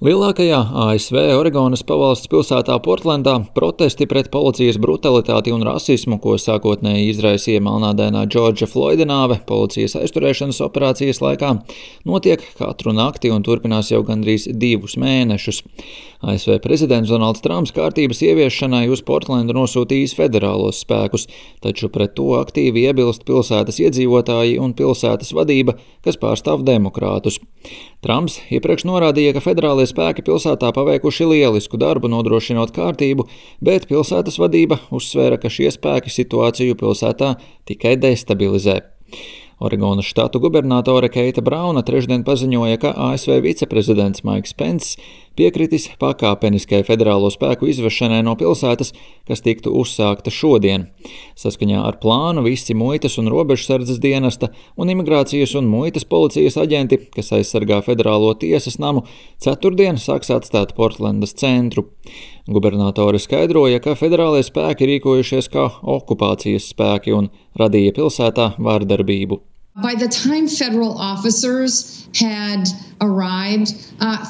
Lielākajā ASV Oregonas pavalsts pilsētā Portlendā protesti pret policijas brutalitāti un rasismu, ko sākotnēji izraisīja melnādainā Džordža Floida nāve policijas aizturēšanas operācijas laikā, notiek katru nakti un turpinās jau gandrīz 2 mēnešus. ASV prezidents Donalds Trumps kārtības ieviešanai uz Portlendu nosūtījis federālos spēkus, taču pret to aktīvi iebilst pilsētas iedzīvotāji un pilsētas vadība, kas pārstāv demokrātus. Trumps iepriekš norādīja, ka federālie spēki pilsētā paveikuši lielisku darbu nodrošinot kārtību, bet pilsētas vadība uzsvēra, ka šie spēki situāciju pilsētā tikai destabilizē. Oregonas štatu gubernatore Keita Brauna trešdien paziņoja, ka ASV viceprezidents Maiks Pence piekritis pakāpeniskai federālo spēku izvešanai no pilsētas, kas tiktu uzsākta šodien. Saskaņā ar plānu visi muitas un robežsardzes dienesta un imigrācijas un muitas policijas aģenti, kas aizsargā federālo tiesas namu, ceturtdien sāks atstāt Portlendas centru. Gubernatore skaidroja, ka federālie spēki rīkojušies kā okupācijas spēki un radīja pilsētā vārdarbību. By the time federal officers had arrived,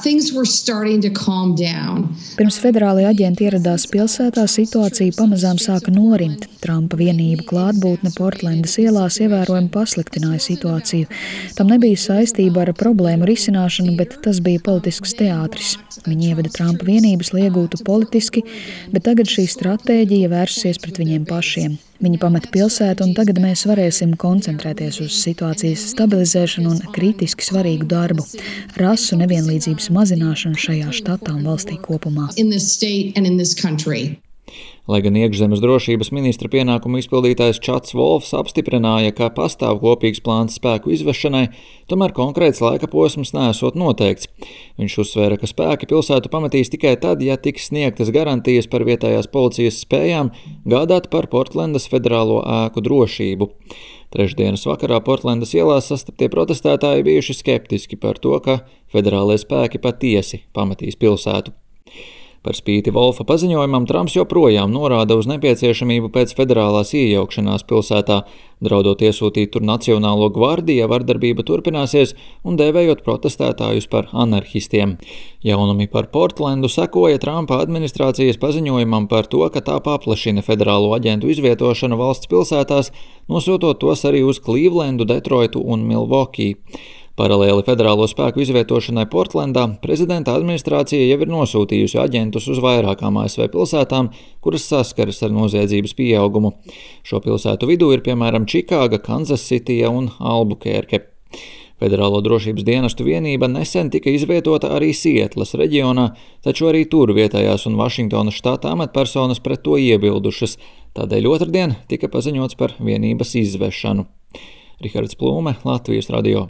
things were starting to calm down. Pirms federālie aģenti ieradās pilsētā, situācija pamazām sāka norimt. Trumpa vienību klātbūtne Portlendas ielās ievērojami pasliktināja situāciju. Tam nebija saistība ar problēmu risināšanu, bet tas bija politisks teātris. Viņi ieveda Trumpa vienības, lai iegūtu politiski, bet tagad šī stratēģija vērsusies pret viņiem pašiem. Viņi pameta pilsētu, un tagad mēs varēsim koncentrēties uz situācijas stabilizēšanu un kritiski svarīgu darbu – rasu nevienlīdzības mazināšanu šajā štatā un valstī kopumā. Lai gan iekšzemes drošības ministra pienākumu izpildītājs Čats Volfs apstiprināja, ka pastāv kopīgs plāns spēku izvešanai, tomēr konkrēts laika posms neesot noteikts. Viņš uzsvēra, ka spēki pilsētu pametīs tikai tad, ja tiks sniegtas garantijas par vietējās policijas spējām gādāt par Portlendas federālo ēku drošību. Trešdienas vakarā Portlendas ielās sastaptie protestētāji bijuši skeptiski par to, ka federālie spēki patiesi pametīs pilsētu. Par spīti Volfa paziņojumam Trumps joprojām norāda uz nepieciešamību pēc federālās iejaukšanās pilsētā, draudot iesūtīt tur Nacionālo gvardiju, ja vardarbība turpināsies un dēvējot protestētājus par anarhistiem. Jaunumi par Portlendu sekoja Trumpa administrācijas paziņojumam par to, ka tā paplašina federālo aģentu izvietošanu valsts pilsētās, nosūtot tos arī uz Clevelandu, Detroitu un Milwaukee. Paralēli federālo spēku izvietošanai Portlendā prezidenta administrācija jau ir nosūtījusi aģentus uz vairākām ASV pilsētām, kuras saskaras ar noziedzības pieaugumu. Šo pilsētu vidū ir piemēram Čikāga, Kanzasitija un Albukērke. Federālo drošības dienestu vienība nesen tika izvietota arī Sietlas reģionā, taču arī tur vietējās un Vašingtonas štata amatpersonas pret to iebildušas. Tādēļ otrdien tika paziņots par vienības izvešanu. Rihards Plūme, Latvijas radio.